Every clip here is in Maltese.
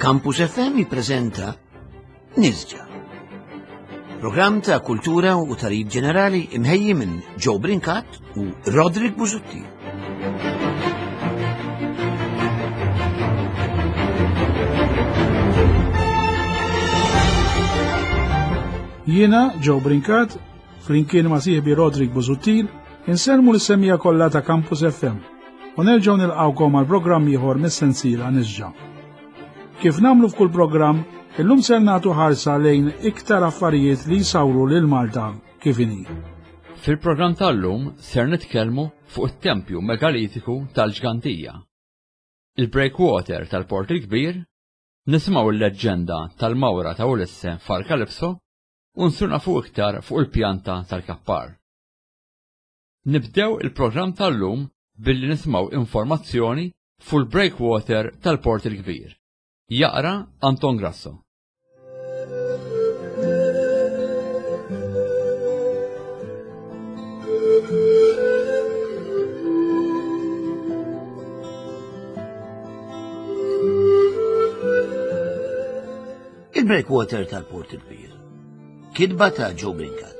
Campus FM jippreżenta Nisġa. Programm ta' kultura u tarif ġenerali imħejji minn Joe Brincat u Roderick Busuttil. Jiena, Joe Brincat, flimkien ma' sieħbi Roderick Busuttil, insellmu l-semmija kollha ta' Campus FM u nerġgħu nilqgħukom għal programm ieħor mis-sensiela Nisġa. Kif nagħmlu f'kull programm, illum ser nagħtu ħarsa lejn iktar affarijiet li jsawru lil Malta kif inhi. Fil-programm tal-lum ser nitkellmu fuq it-tempju megalitiku tal-Ġgantija, il-breakwater tal-Port il-Kbir, nisimgħu l-leġġenda tal-mawra ta' Ulisse f'Arkalipso u nsiru nafu iktar fuq il-pjanta tal-Kappar. Nibdew il-programm tal-lum billi nisimgħu informazzjoni fuq il-breakwater tal-Port il-Kbir. Jaqra Anton Grasso. Il-breakwater tal-Port il-Kbir. Kitba ta' Joe Brincat.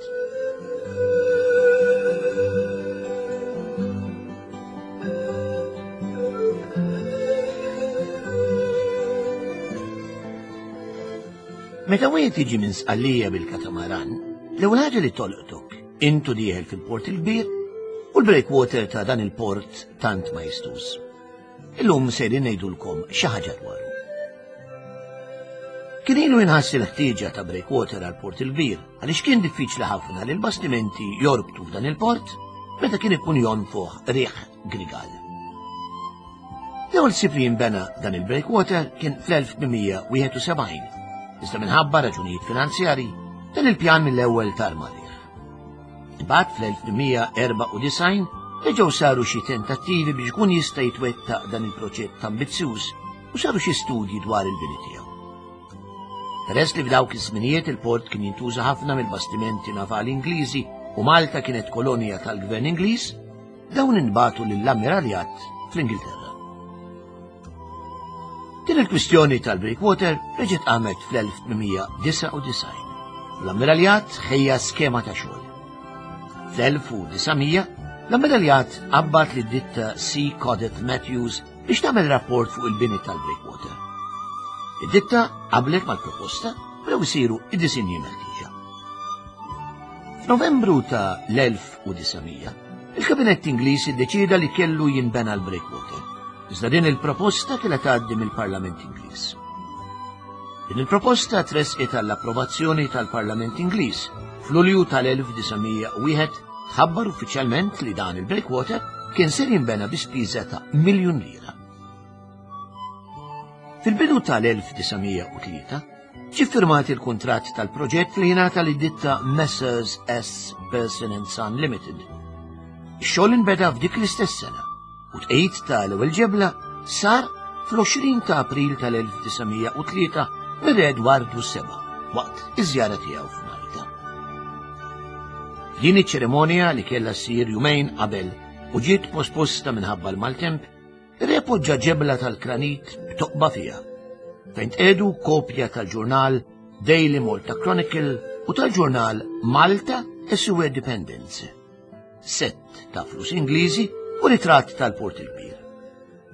Meta wieħed jiġi minn Sqallija bil-katamaran, l-ewwel ħaġa li tolqtok intu dieħel fil-port il-kbir u l-breakwater ta' dan il-port tant ma jistus. Illum sejrin ngħidulkom xi ħaġa dwaru. Kien ilu jinħass il-ħtieġa ta' breakwater għal port il-kbir għaliex kien diffiċli ħafna li l-bastimenti jorbtu f'dan il-port meta kien ikun jonfoħ riħ grigal. L-ewwel sib li jinbena dan il-breakwater kien fl-1871, iżda minħabba raġunijiet finanzjarji dan il-pjan mill-ewwel tar marriħ. Imbagħad fl-1894 reġgħu saru xi tentattivi biex ikun jista' jitwettaq dan il-proġett ambizzjuż u saru xi studji dwar il-bini tiegħu. Peress li f'dawk iż-żminijiet il-port kien jintuża ħafna mill-bastimenti navali Ingliżi u Malta kienet kolonja tal-Gvern Ingliż, dawn inbagħtu lill-Ammiraljat fl-Ingilterra. Din il-kwistjoni tal-breakwater reġgħet qamet fl-1899. L-Ammiraljat ħejja skema ta' xogħol. Fl-1900 l-Ammiraljat qabbat lid ditta C. Codet Matthews biex tagħmel rapport fuq il-bini tal-breakwater. Id-ditta qablet mal-proposta u isiru id-disinji meħtieġa. F'Novembru ta' l-1900, il-Kabinett Ingliż iddeċieda li kellu jinbena l-breakwater. Iżda din il-proposta kellha tgħaddi mill-Parlament Ingliż. Din il-proposta tressqet għall-approvazzjoni tal-Parlament Ingliż f'Lulju tal-1901 tħabbar uffiċjalment li dan il-breakwater kien ser jinbena bi spiża ta' miljun lira. Fil-bidu tal-1903 ġie firmat il-kuntratt tal-proġett li jingħata lid ditta Messrs S. Person and Son Limited. Ix-xogħol inbeda f'dik l-istess sena u tqegħid ta' l-ewwel ġebla sar fl-20 ta' April tal-1903 mir-Re Edwardu VII waqt iż-żjara tiegħu f'Malta. Din iċ-ċerimonja li kellha ssir jumejn qabel u ġiet posposta minħabba l-maltemp, ir-re poġġa ġebla tal-granit b'toqba fiha, fejn tqiegħdu kopja tal-ġurnal Daily Malta Chronicle u tal-ġurnal Malta e Sue Dependence. Sett ta' flus Ingliżi u ritratt tal-Port il-Kbir.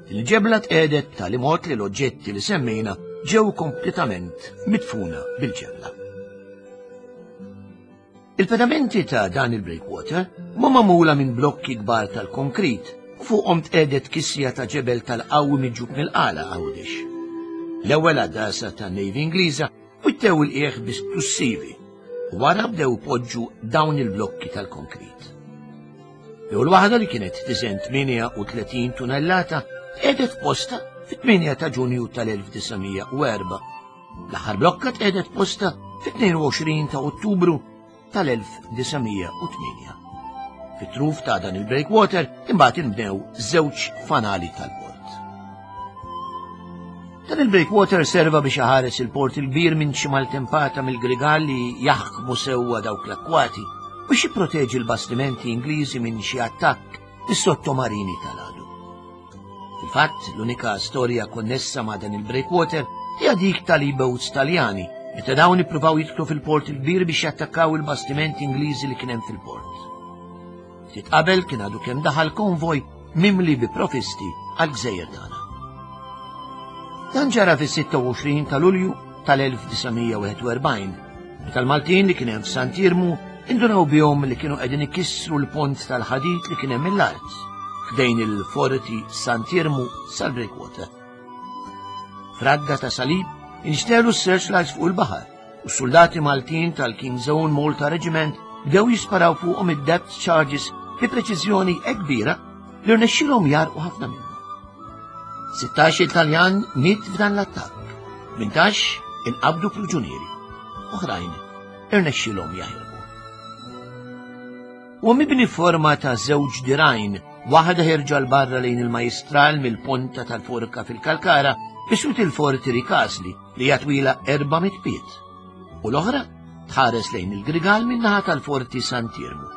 Il-ġebla tqiegħdet b'tali mod li l-oġġetti li semmejna ġew kompletament midfuna bil-ġebla. Il-pedamenti ta' dan il-breakwater huma magħmula minn blokki kbar tal-konkrit u fuqhom tqiegħdet kisja ta' ġebel tal-qawwi miġjub mill-Qala Għawdex. L-ewwel għaddasa tan-Navy Ingliża wittew il-qiegħ bi splussivi u wara bdew ipoġġu dawn il-blokki tal-konkrit. L-ewwel waħda li kienet tiżen 38 tunellata tqiegħdet f'posta fit-8 ta' Ġunju tal-1904. L-aħħar blokka tqiegħdet f'posta fit-22 ta' Ottubru tal-1908. Fit-truf ta' dan il-breakwater imbagħad inbnew żewġ fanali tal-port. Dan il-breakwater serva biex iħares il-port il-kbir minn xi maltempata mill-grigal li jaħkmu sewwa dawk l-akkwati biex jipproteġi l-bastimenti Ingliżi minn xi attakk mis-sottomarini tal-għadu. Fil-fatt, l-unika storja konnessa ma' dan il-breakwater hija dik tal-E-boats Taljani, meta dawn ippruvaw jidħlu fil-Port il-Kbir biex jattakkaw il-bastimenti Ingliżi li kien hemm fil-port. Ftit qabel kien għadu kemm daħal konvoj mimli bi profisti għall-gżejjer tagħna. Dan ġara fis-26 ta' Lulju tal-1941, meta l-Maltin li kien hemm f'Sant'Iermu indunaw bihom li kienu qegħdin ikissru l-pont tal-ħadid li kien hemm mill-art ħdejn il-forti Sant'Iermu sal-Breakwater. Fradda ta' salib inxtelu s-searchlights fuq il-baħar u s-soldati Maltin tal-King's Own Malta Regiment bdew jisparaw fuqhom id-depth charges bi preċiżjoni hekk kbira li rnexxilhom jarqu ħafna minnhom. 16 Taljan miet f'dan l-attakk, 18 inqabdu priġunieri, oħrajn irnexxilhom jaħirbu. U mibni forma ta' żewġ dirajn, waħda ħerġa l barra lejn il-majstral mill-ponta tal-forka fil-Kalkara biswit il-forti Rikasli li hija twila 400 pied, u l-oħra tħares lejn il-Grigal min-naħa tal-Forti Sant'Iermu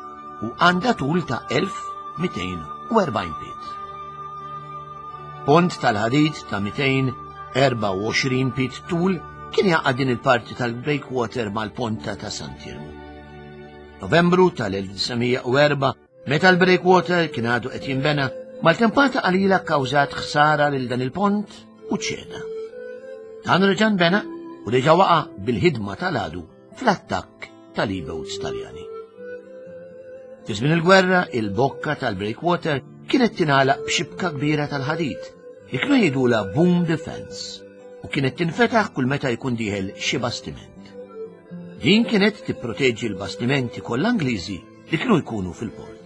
u għandha tul ta' 1240 pied. Pont tal-ħadid ta' 224 pied tul kien jaqgħad din il-parti tal-breakwater mal-ponta ta' Sant'Iermu. Novembru tal-1904 Meta l-breakwater kien għadu qed jinbena, maltempata qalila kkawżat ħsara lil dan il-pont u ċeda. Dan reġa' nbena u reġa' waqa' bil-ħidma tal-għadu fl-attakk tal-E-boats Taljani. Fi żmien il-gwerra, il-bokka tal-breakwater kienet tingħalaq b'xibka kbira tal-ħadid li kienu jgħidulha boom defense u kienet tinfetaħ kull meta jkun dieħel xi bastiment. Din kienet tipproteġi l-bastimenti kollha Ingliżi li kienu jkunu fil-port.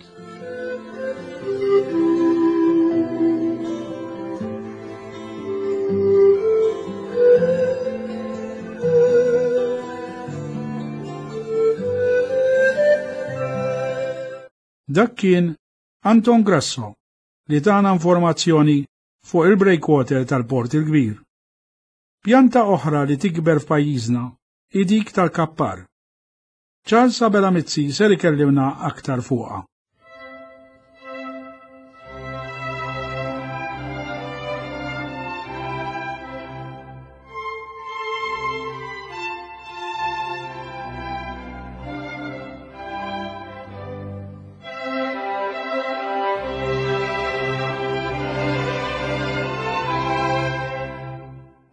Dak kien Anton Grasso li tana informazzjoni fuq il-breakwater tal-Port il-Kbir. Pjanta oħra li tikber f'pajjiżna hi dik tal-kappar. Charles Abela Mizzi ser ikellimna aktar fuqha.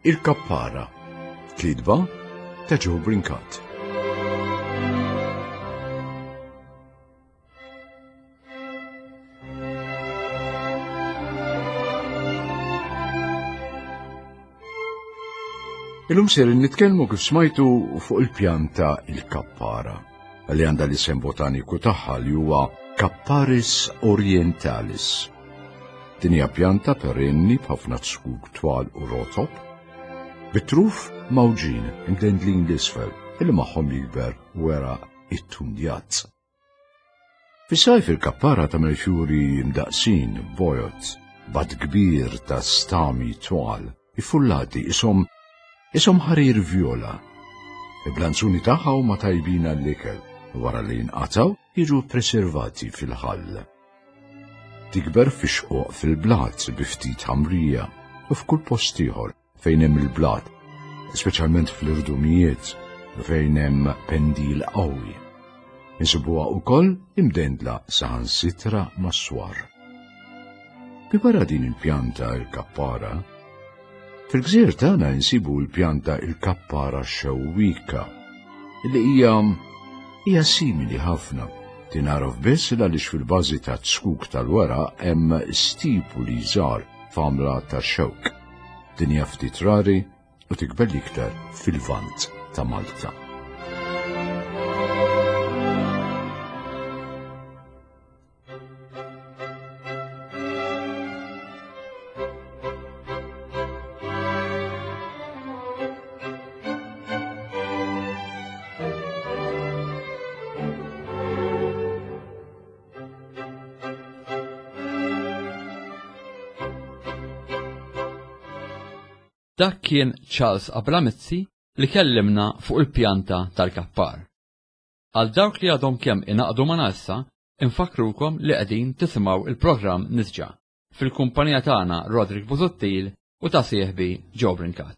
Il-Kappara, kitba ta' Joe Brincat. Illum ser nitkellmu kif smajtu fuq il-pjanta il-kappara li għandha l-isem botaniku tagħha li huwa Capparis orientalis. Din hija pjanta perenni b'ħafna zkuk twal u rotob, bit-truf mawġin imdendlin l-isfel illi magħhom jikber weraq ittundjat. Fis-sajf il-kappara tagħmel fjuri mdaqqsin bojod, b'għadd kbir ta' stami twal, iffullati ishom ishom ħarir vjola. Il-blanzuni tagħha huma tajbin għall-ikel u wara li jinqatgħu jiġu ppreservati fil-ħall. Tikber fi xquq fil-blat bi ftit ħamrija u f'kull post ieħor fejn hemm il-blat, speċjalment fl-irdumijiet fejn hemm pendil qawwi. Insibuha wkoll imdendla saħansitra mas-swar. Minbarra din il-pjanta il-kappara, Fil-gżejjer tagħna insibu l-pjanta il-kappara xewwika li hija hija simili ħafna. Tingħaraf biss għaliex fil-bażi ta' zkuk tal-weraq hemm stipuli żgħar f'għamla ta' xewk. Din hija ftit rari u tikber l-iktar fil-Lvant ta' Malta. Dak kien Charles Abramizzi li kellimna fuq il-pjanta tal-kappar. Għal dawk li għadhom kemm ingħaqdu magħna issa, infakkrukom li qegħdin tisimgħu il-programm Nisġa, fil-kumpanija tagħna Roderick Busuttil u ta' sieħbi Joe Brincat.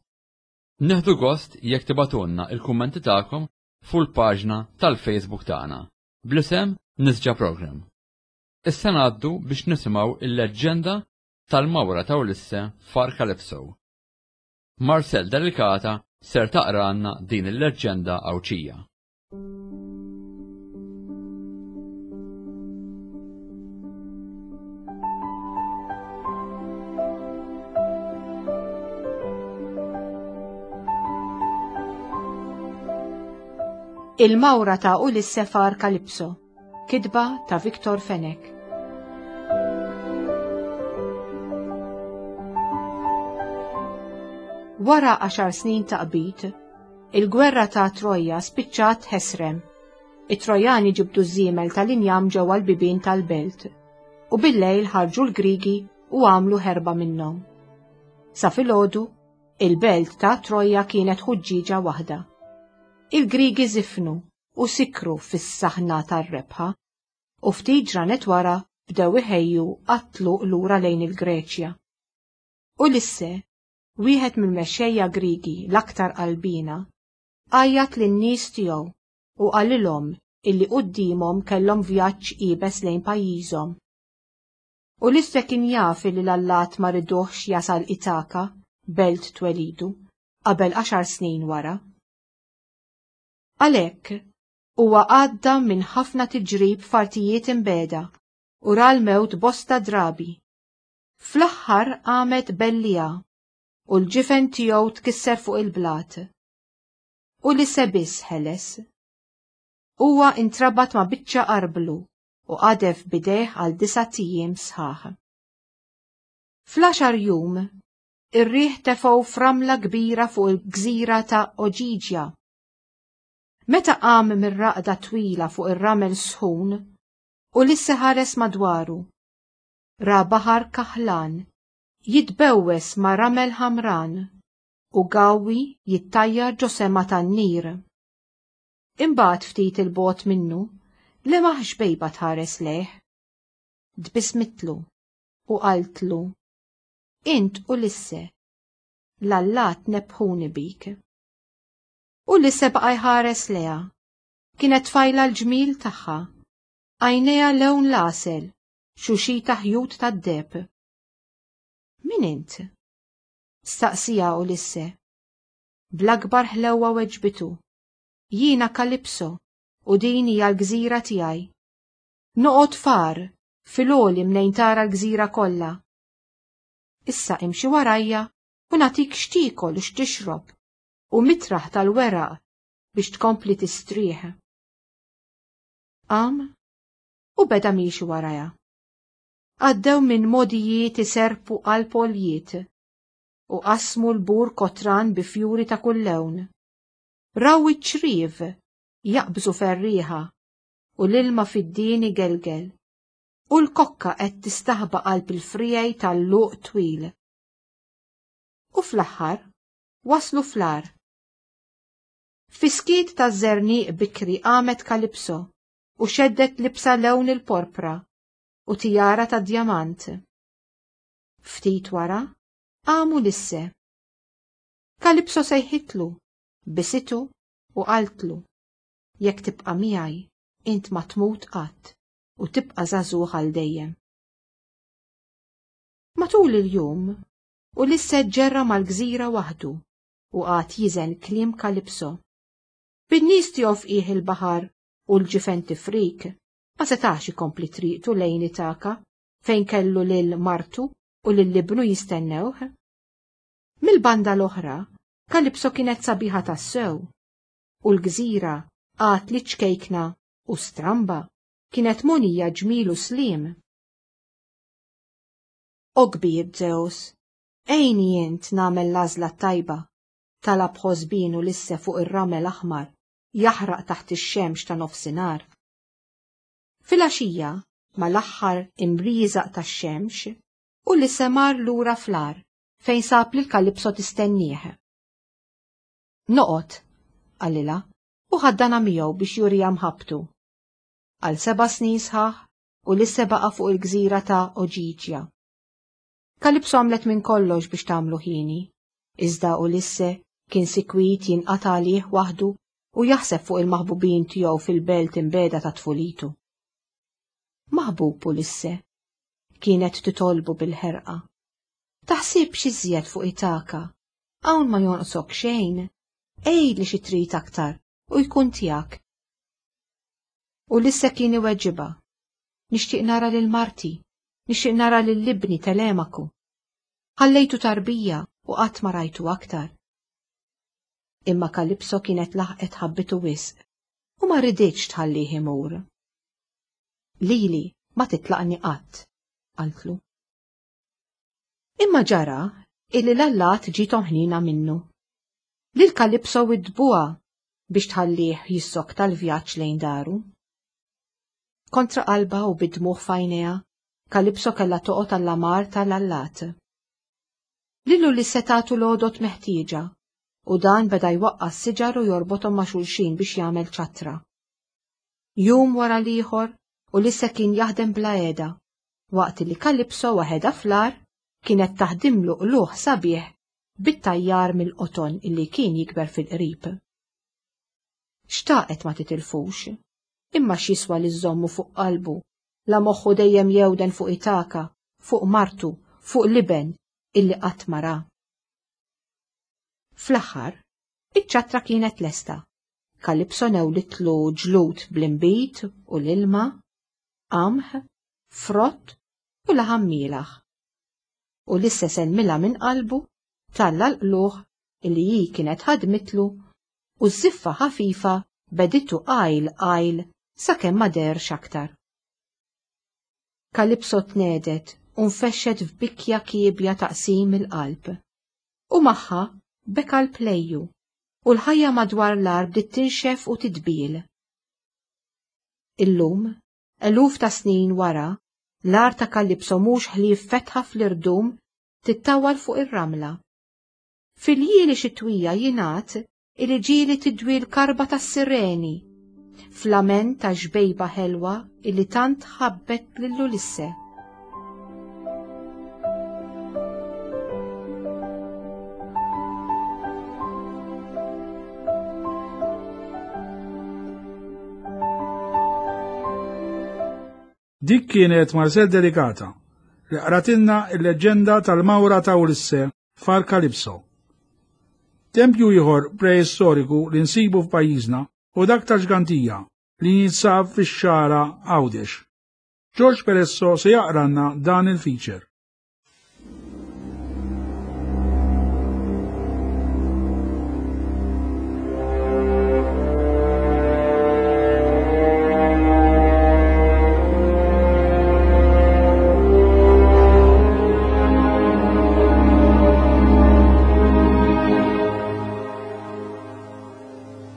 Nieħdu gost jekk tibagħtulna il-kummenti tagħkom fuq il-paġna tal-Facebook tagħna bl-isem Nisġa Program. Issa ngħaddu biex nisimgħu il-leġġenda tal-mawra ta' Ulisse f'Għar Calypso. Marcel Delicata ser taqralna din il-leġġenda Għawdxija. Il-mawra ta' Ulisse f'Għar Calypso, kitba ta' Victor Fenech. Wara għaxar snin ta' qbid, il-gwerra ta' Troja spiċċat ħesrem. It-Trojani ġibdu ż-żiemel tal-injam ġewwa l-bibien tal-belt, u bil-lejl ħarġu l-Grigi u għamlu ħerba minnhom. Sa filgħodu, il-belt ta' Troja kienet ħuġġieġa waħda. Il-Grigi żifnu u sikru fis-saħna tar-rebħa, u ftit ġranet wara bdew iħejju għat-tluq lura lejn il-Greċja. Ulisse, wieħed mill-mexxejja Griegi l-aktar qalbiena, għajjat lin-nies tiegħu u qalilhom illi quddiemhom kellhom vjaġġ iebes lejn pajjiżhom. Ulisse kien jaf illi l-allat ma riduhx jasal Itaka, belt twelidu, qabel għaxar snin wara. Għalhekk, huwa għadda minn ħafna tiġrib f'artijiet imbiegħda u ra l-mewt bosta drabi. Fl-aħħar qamet belliegħa u l-ġifen tiegħu tkisser fuq il-blat. Ulisse biss ħeles. Huwa intrabat ma' biċċa arblu u qadef b'idejh għal disat ijiem sħaħ. Fl-għaxar jum, ir-riħ tefgħu f'ramla kbira fuq il-gżira ta' Oġiġja. Meta qam mir-raqda twila fuq ir-ramel sħun, Ulisse ħares madwaru. Ra baħar kaħlan jitbewwes ma' ramel ħamran u gawwi jittajjar ġo sema tan-nir. Imbagħad ftit 'il bogħod minnu, lemaħ xbejba tħares lejh. Tbissmitlu u qaltlu, Int Ulisse, l-allat nebbħuni bik. Ulisse baqa' jħares lejha. Kienet tfajla l-ġmiel tagħha, għajnejha lewn l-għasel, xuxita ħjut tad-deheb. Min int? staqsieha Ulisse. Bl-akbar ħlewwa weġbitu, Jiena Kalipso u din hija l-gżira tiegħi. Noqgħod f'għar, fil-għoli mnejn tara l-gżira kollha. Issa imxi warajja u nagħtik x'tiekol u x'tixrob u mitraħ tal-weraq biex tkompli tistrieħ. Qam u beda miexi warajha. Għaddew minn mogħdijiet iserrpu qalb għoljiet u qasmu l-bur kotran bi fjuri ta' kull lewn. Raw iċ-ċriev jaqbżu ferrieħa u l-ilma fid-dien igelgel, u l-kokka qed tistaħba qalb il-friegħi tal-luq twil. U fl-aħħar waslu fl-għar. Fis-skiet taż-żerniq bikri qamet Kalipso u xeddet libsa lewn il-porpra u tijara tad-djamant. Ftit wara qam Ulisse. Kalipso sejħitlu, bisitu u qaltlu, Jekk tibqa' miegħi, int ma tmut qatt u tibqa' żagħżugħ għal dejjem. Matul il-jum, Ulisse ġġerra mal-gżira waħdu u qagħad jiżen kliem Kalipso. Bin-nies tiegħu f'qiegħ il-baħar u l-ġifen tifrik, ma setax ikompli triqtu lejn Itaka fejn kellu lil martu u lil ibnu jistennewh. Mill-banda l-oħra, Kalipso kienet sabiħa tassew, u l-gżira għad li ċkejkna u stramba kienet mogħnija ġmiel u sliem. O kbir Zeus, għinni int nagħmel l-għażla t-tajba, talab ħosbien Ulisse fuq ir-ramel aħmar jaħraq taħt ix-xemx ta' nofsinhar. Filgħaxija, mal-aħħar imrieżaq tax-xemx, Ulisse mar lura fl-għar fejn sab lil Kalipso tistennieh. Noqgħod, qalilha, u ħaddanha miegħu biex juriha mħabbtu. Għal seba' snin sħaħ, Ulisse baqa' fuq il-gżira ta' Oġiġja. Kalipso għamlet minn kollox biex tagħmlu ħieni, iżda Ulisse Kien sikwit jinqata' għalih waħdu u jaħseb fuq il-maħbubin tiegħu fil-belt imbegħda ta' tfulitu. Maħbub Ulisse, kienet titolbu bil-ħerqa. Taħsibx iżjed fuq Itaka, hawn ma jonqsok xejn, għidli xi trid aktar u jkun tiegħek. Ulisse kien iweġibha, Nixtieq nara lil marti, nixtieq nara lil ibni Telemaku. Ħallejtu tarbija u qatt ma rajtu aktar. Imma Kalipso kienet laħqet ħabbitu wisq u ma riditx tħallih imur. Lili ma titlaqni qatt, qaltlu. Imma ġara illi l-allat ġiethom ħniena minnu. Lil Kalipso widdbuha biex tħallih jissokta l-vjaġġ lejn daru. Kontra qalbha u bid-dmugħ f'għajnejha, Kalipso kellha toqgħod għall-amar ta' l-allat. Lil Ulisse tatu l-għodod meħtieġa, u dan beda jwaqqa' s-siġar u jorbothom ma' xulxin biex jagħmel ċattra. Jum wara l-ieħor, Ulisse kien jaħdem bla heda, waqt li Kalipso waħedha fl-għar kienet taħdimlu qlugħ sabiħ bit-tajjar mill-qoton illi kien jikber fil-qrib. Xtaqet ma titilfux, imma x'jiswa li żżommu fuq qalbu, la moħħu dejjem jewden fuq Itaka, fuq martu, fuq l-iben illi qatt ma ra. Fl-aħħar, iċ-ċattra kienet lesta. Kalipso newlitlu ġlud bl-inbid u l-ilma, qamħ, frott u laħam mielaħ. Ulisse sellmilha minn qalbu talla l-qlugħ illi hi kienet ħadmitlu u ż-żiffa ħafifa beditu qajl qajl sakemm ma deherx aktar. Kalipso tnegħdet u nfexxet f'bikja kiebja ta' qsim il-qalb. U magħha beka l-plejju u l-ħajja madwar l-għar bdiet tinxef u tidbiel. Illum, eluf ta' snin wara, l-għar ta' Kalipso mhux ħlief fetħa fl-irdum tittawwal fuq ir-ramla. Fil-ljieli xitwija jingħad illi ġieli tidwi l-karba tas-sireni, f'lament ta' xbejba ħelwa illi tant ħabbet lil Ulisse. Dik kienet Marcel Delicata li qratilna l-leġġenda tal-mawra ta' Ulisse f'Għar Kalipso. Tempju ieħor preistoriku li nsibu f'pajjiżna hu dak tal-Ġgantija li jinsab fix-Xagħra Għawdex. George Peresso se jaqralna dan il-feature.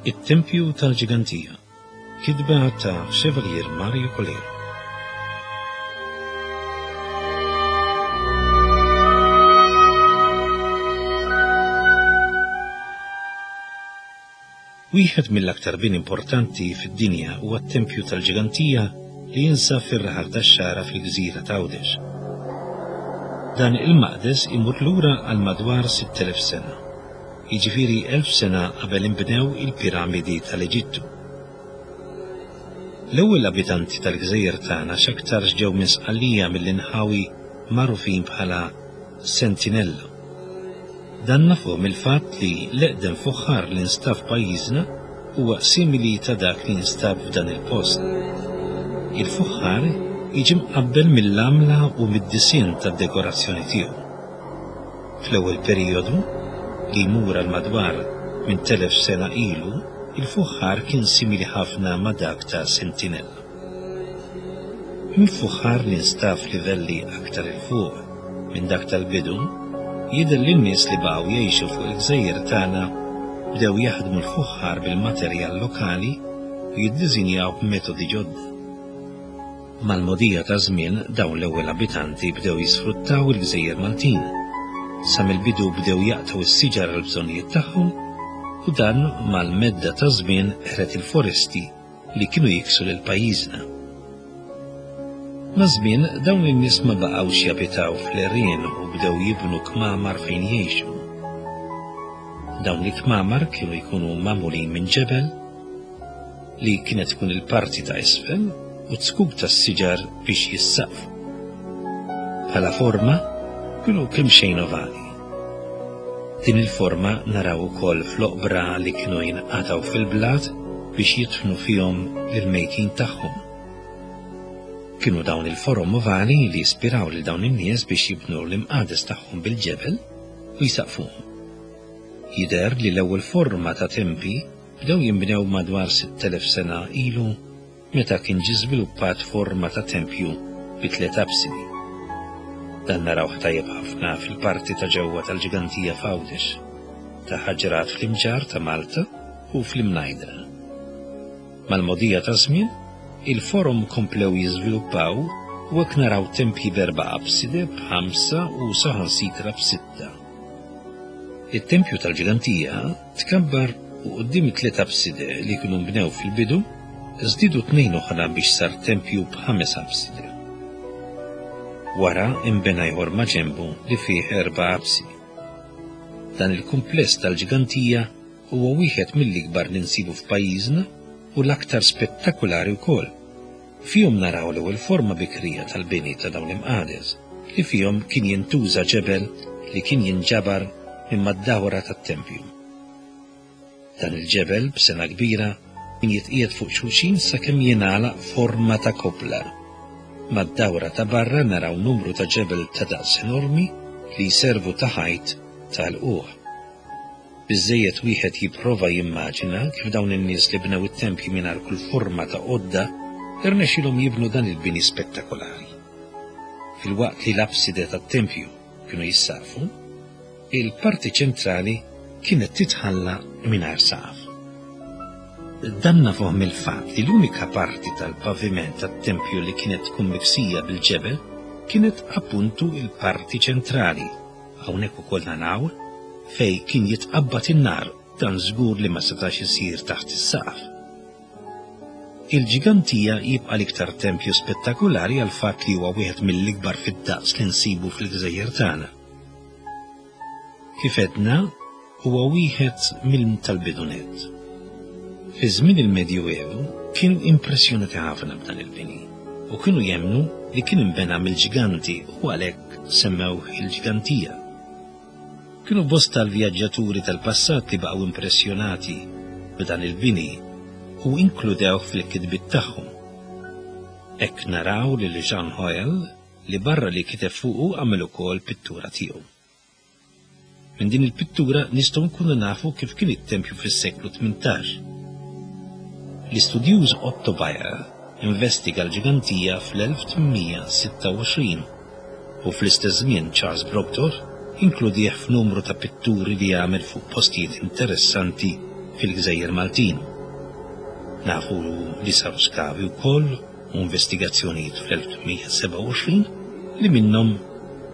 It-Tempju tal-Ġigantija, kitba ta' Chevalier Mario Coleiro. Wieħed mill-aktar bini importanti fid-dinja huwa t-Tempju tal-Ġigantija li jinsab fir-raħal tax-Xagħra fil-gżira t'Għawdex. Dan il-maqdes imur lura għal madwar 6,000 sena, jiġifieri 1,000 sena qabel inbnew il-piramidi tal-Eġittu. L-ewwel abitanti tal-gżejjer tagħna x'aktarx ġew minn Sqallija mill-inħawi magħrufin bħala Sentinella. Dan nafuh mill-fatt li l-eqdem fuħħar li nstab f'pajjiżna huwa simili ta' dak li nstab f'dan il-post. Il-fuħħar jiġi mqabbel mill-għamla u mid-disinn tad-dekorazzjoni tiegħu. Fl-ewwel perijodu, li jmur għal madwar 8,000 sena ilu, il-fuħħar kien simili ħafna ma' dak ta' Sentinella. Mill-fuħħar li nstab f'livelli aktar 'il fuq minn dak tal-bidu, jidher li n-nies li baqgħu jgħixu fuq il-gżejjer tagħna bdew jaħdmu l-fuħħar bil-materjal lokali u jiddiżinjaw b'metodi ġodda. Mal-mogħdija taż-żmien dawn l-ewwel abitanti bdew jisfruttaw il-gżejjer Maltin. Sa mill-bidu bdew jaqtgħu s-siġar għall-bżonnijiet tagħhom u dan mal-medda taż-żmien qered il-foresti li kienu jiksu lil pajjiżna. Maż-żmien dawn in-nies ma baqgħux jabitaw fl-għerien u bdew jibnu kmamar fejn jgħixu. Dawn il-kmamar kienu jkunu magħmulin minn ġebel li kienet tkun il-parti ta' isfel u zkuk tas-siġar biex jissaqfu. Bħala forma kienu kemxejn ovali. Din il-forma naraw ukoll fl-oqbra li kienu jinqatgħu fil-blat biex jidfnu fihom lill-mejtin tagħhom. Kienu dawn il-forom ovali li ispiraw lil dawn in-nies biex jibnu l-imqades tagħhom bil-ġebel u jsaqfuhom. Jidher li l-ewwel forma ta' tempji bdew jinbnew madwar 6,000 sena ilu meta kien ġie żviluppat forma ta' tempju bi tliet apsidi. Dan narawh tajjeb ħafna fil-parti ta' ġewwa tal-Ġgantija f'Għawdex, ta' Ħaġrat fl-Imġarr ta' Malta u fl-Imnajdra. Mal-mogħdija taż-żmien, il-forom komplew jiżviluppaw u hekk naraw tempji b'erba' apside, b'ħamsa u saħansitra b'sitta. It-tempju tal-Ġgantija tkabbar u quddiem it-tliet apside li kienu nbnew fil-bidu, żdiedu tnejn oħra biex sar tempju b'ħames apside. Wara inbena ieħor maġenbu li fih erba' apsidi. Dan il-kumpless tal-Ġgantija huwa wieħed mill-ikbar li nsibu f'pajjiżna u l-aktar spettakulari wkoll. Fihom naraw l-ewwel forma bikrija tal-bini ta' dawn l-imqades, li fihom kien jintuża ġebel li kien jinġabar minn mad-dawra tat-tempju. Dan il-ġebel b'sengħa kbira kien jitqiegħed fuq xulxin sakemm jingħalaq forma ta' koppla. Mad-dawra ta' barra naraw numru ta' ġebel ta' daqs enormi li jservu ta' ħajt ta' lqugħ. Biżżejjed wieħed jipprova jimmaġina kif dawn in-nies li bnew it-tempji mingħajr kull forma ta' għodda rnexxielhom jibnu dan il-bini spettakolari. Filwaqt li l-apside tat-tempju kienu jissaqfu, il-parti ċentrali kienet titħalla mingħajr saqaf. Dan nafuh mill-fatt li l-unika parti tal-paviment tat-tempju li kienet tkun miksija bil-ġebel kienet appuntu il-parti ċentrali. Hawnhekk ukoll naraw fejn kien jitqabbad in-nar, dan żgur li ma setax isir taħt is-saqaf. Il-Ġgantija jibqa' l-iktar tempju spettakulari għall-fatt li huwa wieħed mill-ikbar fid-daqs li nsibu fil-gżejjer tagħna. Kif għedna, huwa wieħed mill tal-bidu nett. Fi żmien il-Medjuevu kienu impressjonati ħafna b'dan il-bini u kienu jemmnu li kien inbena mill-ġganti u għalhekk semmewh il-Ġgantija. Kienu bosta l-vjaġġaturi tal-passat li baqgħu impressjonati b'dan il-bini u inkludewh fil-kitbiet tagħhom. Hekk naraw lil Jean Hoel li barra li kiteb fuqu għamel ukoll pittura tiegħu. Minn din il-pittura nistgħu nkunu nafu kif kien it-tempju fis-seklu 18. L-istudjuż Otto Bayer investiga l-ġgantija fl-1826 u fl-istess żmien Charles Brockdorff inkludih f'numru ta' pitturi li għamel fuq postijiet interessanti fil-Gżejjer Maltin. Nafu li saru skavi wkoll u investigazzjonijiet fl-1827 li minnhom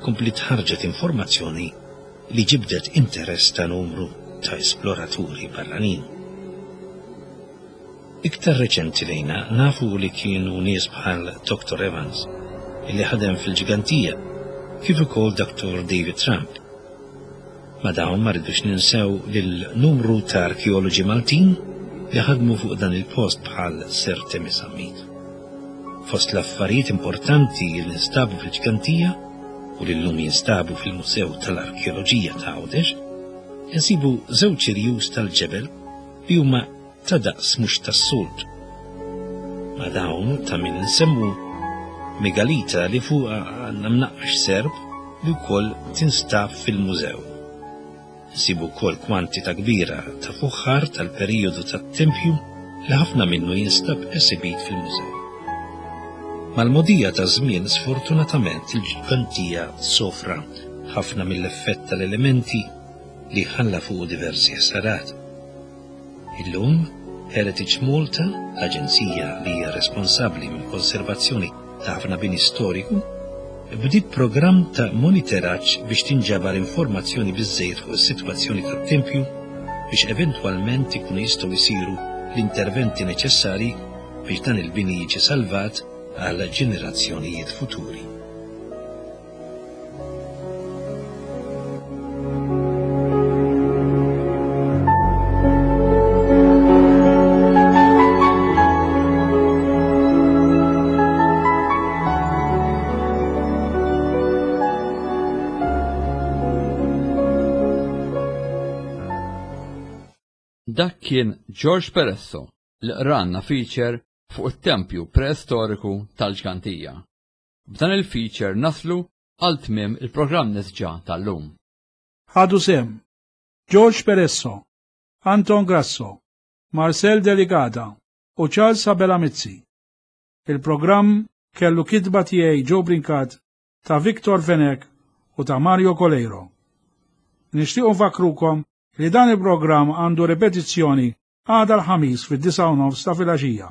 kompliet ħarġet informazzjoni li ġibdet interess ta' numru ta' esploraturi barranin. Iktar reċenti lejna nafu li kienu nies bħal Dr. Evans, li ħadem fil-Ġgantija, kif ukoll Dr. David Trump. Ma' dawn ma rridux ninsew lil numru ta' arkeoloġi Maltin li ħadmu fuq dan il-post bħal Sir Temi Zammit. Fost l-affarijiet importanti li nstabu fil-Ġgantija u li llum jinstabu fil-Mużew tal-Arkeoloġija ta' Għawdex, insibu żewġ irjus tal-ġebel li huma ta' daqs mhux tas-soltu. Ma' dawn ta' min insemmu megalita li fuqha għandna mnaqqax serp li wkoll tinstab fil-mużew. Nsibu wkoll kwantità kbira ta' fuħħar tal-perijodu tat-tempju li ħafna minnu jinstab esibit fil-mużew. Mal-mogħdija taż-żmien sfortunatament il-ġgantija sofra ħafna mill-effett tal-elementi li ħalla fuqu diversi ħsarat. Illum, Heritage Malta, l-aġenzija li hija responsabbli mill-konservazzjoni ta' ħafna bini storiku, bdiet programm ta' moniteraġġ biex tinġabar informazzjoni biżżejjed fuq is-sitwazzjoni tat-tempju biex eventwalment ikunu jistgħu jsiru l-interventi neċessarji biex dan il-bini jiġi salvat għal ġenerazzjonijiet futuri. Dak kien George Peresso li qranna feature fuq it-tempju preistoriku tal-Ġgantija. B'dan il-feature naslu għal tmiem il-programm Nisġa tal-lum. Ħadu sehem George Peresso, Anton Grasso, Marcel Delicata u Charles Abela Mizzi. Il-programm kellu kitba tiegħi Joe Brincat ta' Victor Fenech u ta' Mario Coleiro. Nixtiequ nfakkrukom li dan il-programm għandu ripetizzjoni għada l-Ħamis fid-9:30 ta' filgħaxija.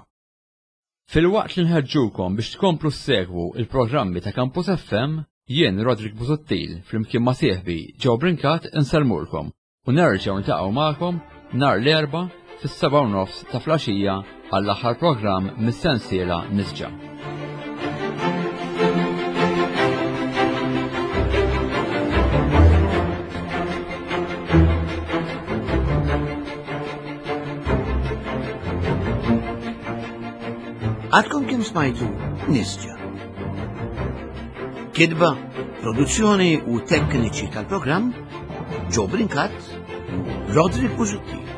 Filwaqt li nħeġġukom biex tkomplu ssegwu il-programmi ta' Campus FM, jien Roderick Busuttil flimkien ma' sieħbi Joe Brincat insellmulkom u nerġgħu niltaqgħu magħkom nhar l-Erbgħa fis-7:30 ta' flaxija għall-aħħar programm mis-sensiela Nisġa. Għadkom kim smajtu Nisġa. Kidba, produzzjoni u tekniċi tal-programm Joe Brincat, Roderick Busuttil.